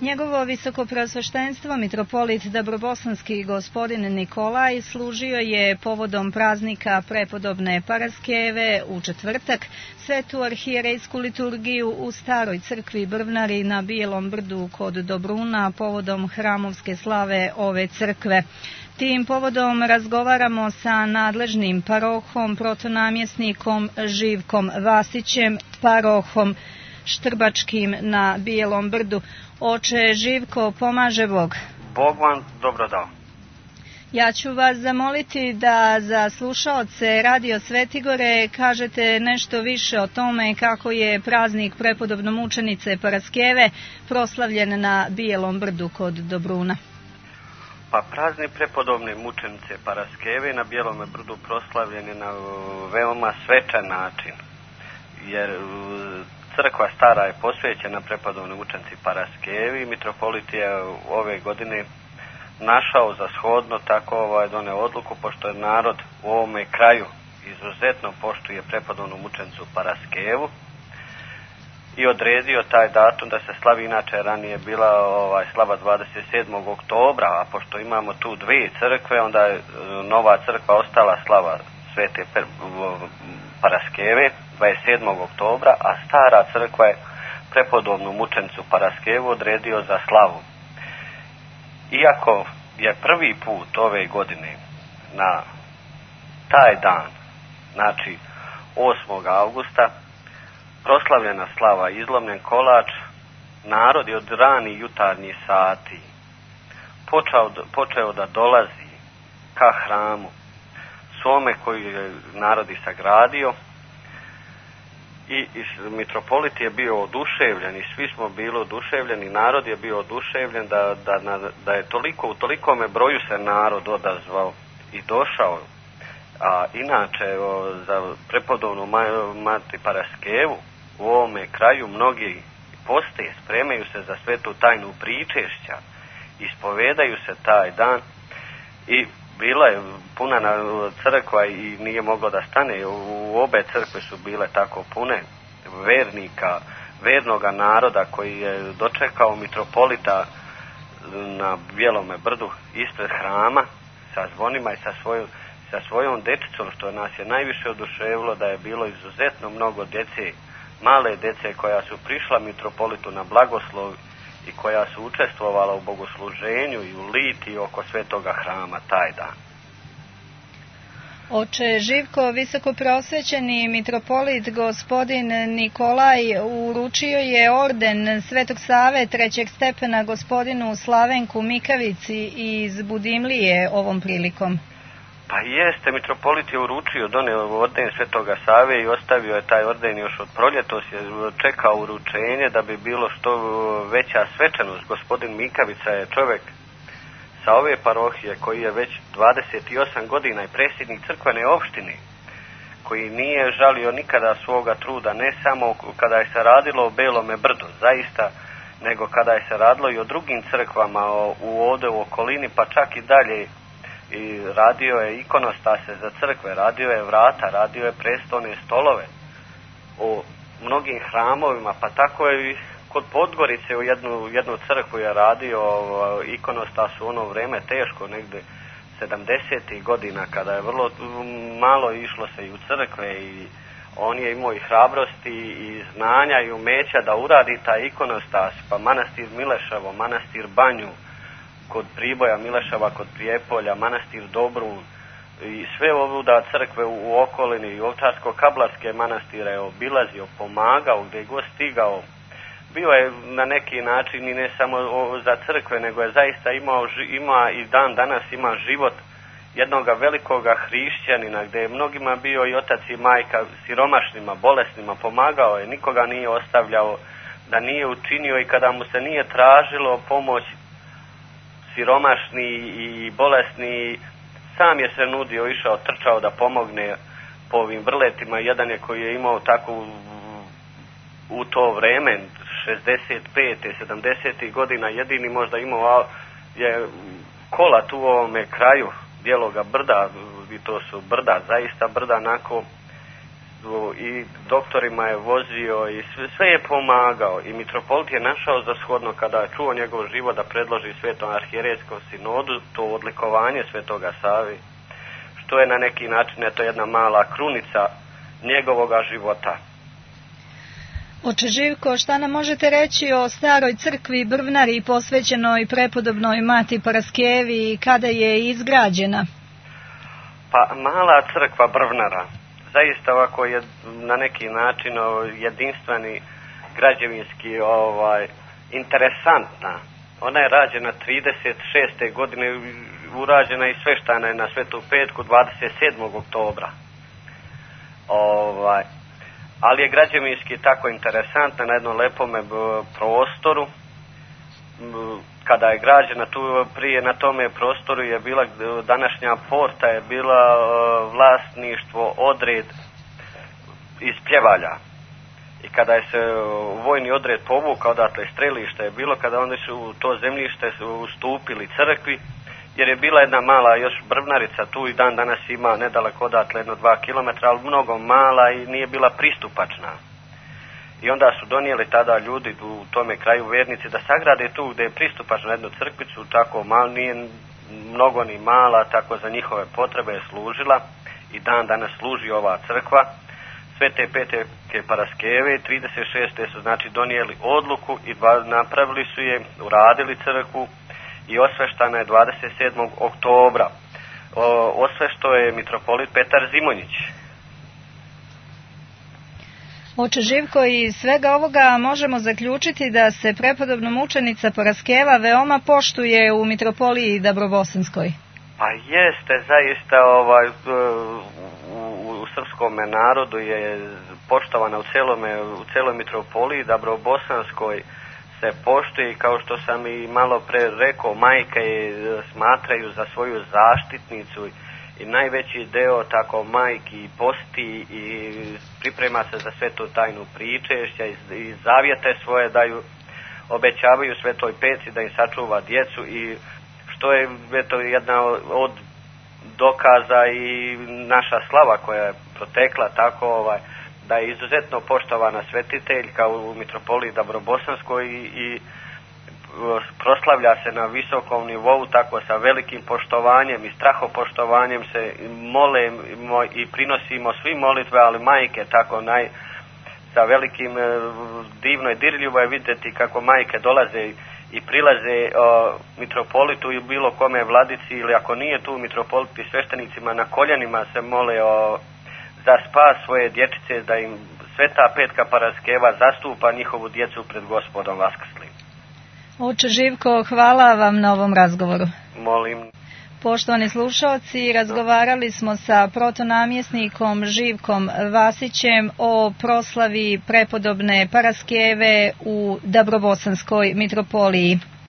Njegovo visokopreosveštenstvo mitropolit Dabrobosanski gospodin Nikolaj služio je povodom praznika prepodobne Paraskeve u četvrtak svetu arhijerejsku liturgiju u staroj crkvi Brvnari na Bijelom brdu kod Dobruna povodom hramovske slave ove crkve. Tim povodom razgovaramo sa nadležnim parohom, protonamjesnikom Živkom Vasićem, parohom Štrbačkim na Bijelom brdu. Oče Živko, pomaže Bog. Bog vam dobro dao. Ja ću vas zamoliti da za slušaoce Radio Svetigore kažete nešto više o tome kako je praznik prepodobno mučenice Paraskeve proslavljen na Bijelom brdu kod Dobruna. Pa praznik prepodobne mučenice Paraskeve na Bijelom brdu proslavljen je na veoma svečan način, jer crkva stara je posvećena prepodobnoj mučenici Paraskevi i mitropolit je ove godine našao za shodno tako doneo odluku, pošto je narod u ovome kraju izuzetno poštuje prepodobnu mučenicu Paraskevu i odredio taj datum da se slavi. Inače ranije bila slava 27. oktobra, a pošto imamo tu dvije crkve, onda je nova crkva ostala slava Svete Paraskeve 27. oktobra, a stara crkva je prepodobnu mučenicu Paraskevu odredio za slavu. Iako je prvi put ove godine na taj dan, znači 8. augusta, proslavljena slava izlomljen kolač, narod je od rani jutarnjih sati počeo da dolazi ka hramu svome koji je narod i sagradio, i mitropolit je bio oduševljen i svi smo bili oduševljeni, narod je bio oduševljen da je u tolikome broju se narod odazvao i došao. A inače za prepodobnu mati Paraskevu u ovome kraju mnogi poste, spremaju se za svetu tajnu pričešća, ispovedaju se taj dan i bila je puna crkva i nije moglo da stane. U obe crkve su bile tako pune vernika, vernoga naroda koji je dočekao mitropolita na Bijelome brdu ispred hrama sa zvonima i sa svojom dečicom, što nas je najviše oduševilo, da je bilo izuzetno mnogo djece, male djece koja su prišla mitropolitu na blagoslov i koja su učestvovala u bogosluženju i u litiji oko svetoga hrama taj dan. Oče Živko, visokoprosvećeni mitropolit gospodin Nikolaj uručio je orden Svetog Save trećeg stepena gospodinu Slavenku Mikavici iz Budimlije ovom prilikom. Pa jeste, mitropolit je uručio, doneo orden Svetoga Save i ostavio je taj orden još od proljetos, je čekao uručenje da bi bilo što veća svečanost. Gospodin Mikavica je čovjek sa ove parohije koji je već 28 godina i predsjednik crkvene opštine, koji nije žalio nikada svoga truda, ne samo kada je se radilo o Belome brdu, zaista, nego kada je se radilo i o drugim crkvama ovdje u okolini, pa čak i dalje. I radio je ikonostase za crkve, radio je vrata, radio je prestolne stolove u mnogim hramovima, pa tako je i kod Podgorice u jednu crkvu je radio ikonostas u ono vrijeme teško, negdje 70. godina, kada je vrlo malo išlo se i u crkve i on je imao i hrabrosti i znanja i umeća da uradi taj ikonostas, pa manastir Mileševo, manastir Banju kod Priboja, Mileševa kod Prijepolja, manastir Dobrun i sve ovuda crkve u okolini i Ovčarsko-Kablarske manastire je obilazio, pomagao gdje je god stigao. Bio je na neki način i ne samo za crkve, nego je zaista ima i dan danas ima život jednoga velikoga hrišćanina, gdje je mnogima bio i otac i majka siromašnima, bolesnima, pomagao je, nikoga nije ostavljao da nije učinio, i kada mu se nije tražilo pomoć siromašni i bolesni, sam je se nudio, išao, trčao da pomogne po ovim vrletima. Jedan je koji je imao tako u to vreme 65. 70. godina, jedini možda imao je kola tu u ovome kraju Bijeloga brda, i to su brda, zaista brda onako i doktorima je vozio i sve je pomagao i mitropolit je našao za shodno kada je čuo njegov život da predloži Svetom arhijerejskom sinodu to odlikovanje Svetoga Savi, što je na neki način eto jedna mala krunica njegovoga života. Oče Živko, šta nam možete reći o staroj crkvi Brvnari posvećenoj prepodobnoj Mati Paraskevi i kada je izgrađena? Pa mala crkva Brvnara zaista ovako je na neki način jedinstveni građevinski interesantna. Ona je rađena 36. godine, urađena i sveštana je na Svetu Petku 27. oktobra. Ali je građevinski tako interesantna na jednom lepome prostoru. Kada je građena tu prije na tome prostoru je bila današnja porta je bila vlasništvo odred iz Pljevalja. I kada je se vojni odred povukao odatle strelište je bilo kada oni su u to zemljište ustupili crkvi jer je bila jedna mala još brvnarica tu i dan danas ima nedaleko odatle 1-2 kilometra, ali mnogo mala i nije bila pristupačna. I onda su donijeli tada ljudi u tome kraju vernici da sagrade tu gdje je pristupačno jednu crkvicu, tako malo, nije mnogo ni mala, tako za njihove potrebe je služila i dan danas služi ova crkva. Svete Petke Paraskeve 36. su znači donijeli odluku i napravili su je, uradili crkvu i osveštana je 27. oktobra. Osvešto je mitropolit Petar Zimonjić. Oče Živko, iz svega ovoga možemo zaključiti da se prepodobna mučenica Paraskeva veoma poštuje u mitropoliji Dabrobosanskoj. Pa jeste, zaista u srpskom narodu je poštovana u celoj mitropoliji Dabrobosanskoj se poštuje i kao što sam i malo pre rekao, majke je smatraju za svoju zaštitnicu i najveći deo tako majki posti i priprema se za svetu tajnu pričešća i zavjete svoje daju, obećavaju Svetoj Peci da im sačuva djecu i što je eto jedna od dokaza i naša slava koja je protekla tako da je izuzetno poštovana svetiteljka u mitropoliji Dabrobosanskoj i proslavlja se na visokom nivou, tako sa velikim poštovanjem i strahopoštovanjem se molimo i prinosimo svi molitve, ali majke tako sa velikim divno i dirljivo je vidjeti kako majke dolaze i prilaze mitropolitu i bilo kome vladici ili ako nije tu mitropolit i sveštenicima na koljenima se mole za spas svoje dječice da im Sveta Petka Paraskeva zastupa njihovu djecu pred Gospodom Vaskrslim. Oče Živko, hvala vam na ovom razgovoru. Molim. Poštovani slušalci, razgovarali smo sa protonamjesnikom Živkom Vasićem o proslavi prepodobne Paraskeve u Dabrobosanskoj mitropoliji.